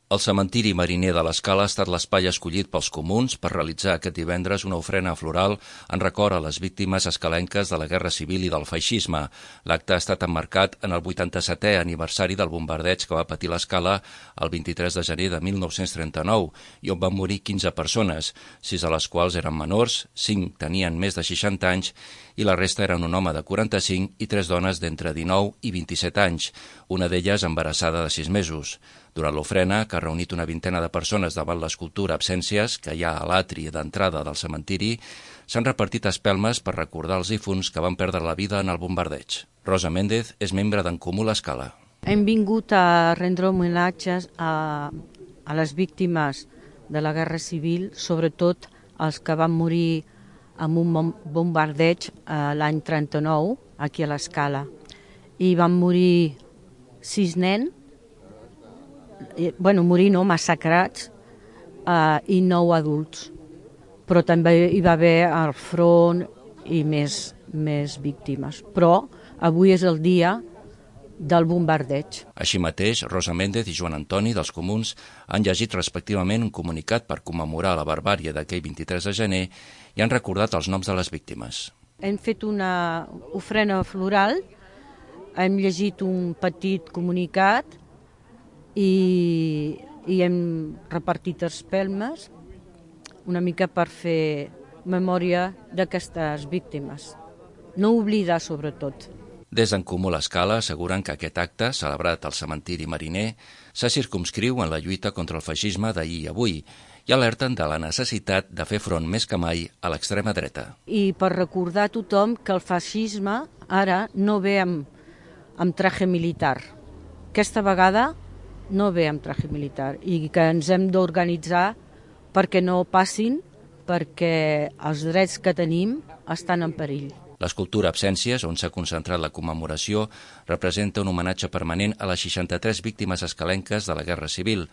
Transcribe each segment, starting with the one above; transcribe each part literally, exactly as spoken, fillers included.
El cementiri mariner de l'Escala ha estat l'espai escollit pels comuns per realitzar aquest divendres una ofrena floral en record a les víctimes escalenques de la Guerra Civil i del feixisme. L'acte ha estat emmarcat en el vuitanta-setè aniversari del bombardeig que va patir l'Escala el vint-i-tres de gener de mil nou-cents trenta-nou i on van morir quinze persones, sis de les quals eren menors, cinc tenien més de seixanta anys i la resta eren un home de quaranta-cinc i tres dones d'entre dinou i vint-i-set anys, una d'elles embarassada de sis mesos. Durant l'ofrena, que ha reunit una vintena de persones davant l'escultura Absències, que hi ha a l'atri d'entrada del cementiri, s'han repartit espelmes per recordar els difunts que van perdre la vida en el bombardeig. Rosa Méndez és membre d'En Comú l'Escala. Hem vingut a rendre homenatges a, a les víctimes de la Guerra Civil, sobretot els que van morir en un bombardeig l'any trenta-nou, aquí a l'Escala. I van morir sis nens, bueno, morir no, massacrats, eh, i nou adults. Però també hi va haver al front i més, més víctimes. Però avui és el dia del bombardeig. Així mateix, Rosa Méndez i Joan Antoni, dels Comuns, han llegit respectivament un comunicat per commemorar la barbàrie d'aquell vint-i-tres de gener i han recordat els noms de les víctimes. Hem fet una ofrena floral, hem llegit un petit comunicat i, i hem repartit espelmes una mica per fer memòria d'aquestes víctimes. No oblidar, sobretot. Des d'En Comú l'Escala asseguren que aquest acte, celebrat al cementiri mariner, se circumscriu en la lluita contra el feixisme d'ahir i avui i alerten de la necessitat de fer front més que mai a l'extrema dreta. I per recordar a tothom que el feixisme ara no ve amb, amb traje militar. Aquesta vegada no ve amb traje militar i que ens hem d'organitzar perquè no passin, perquè els drets que tenim estan en perill. L'escultura Absències, on s'ha concentrat la commemoració, representa un homenatge permanent a les seixanta-tres víctimes escalenques de la Guerra Civil.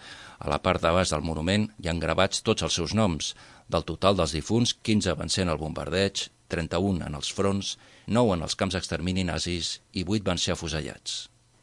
A la part de baix del monument hi han gravats tots els seus noms. Del total dels difunts, quinze van ser en el bombardeig, trenta-un en els fronts, nou en els camps d'extermini nazis i vuit van ser afusellats.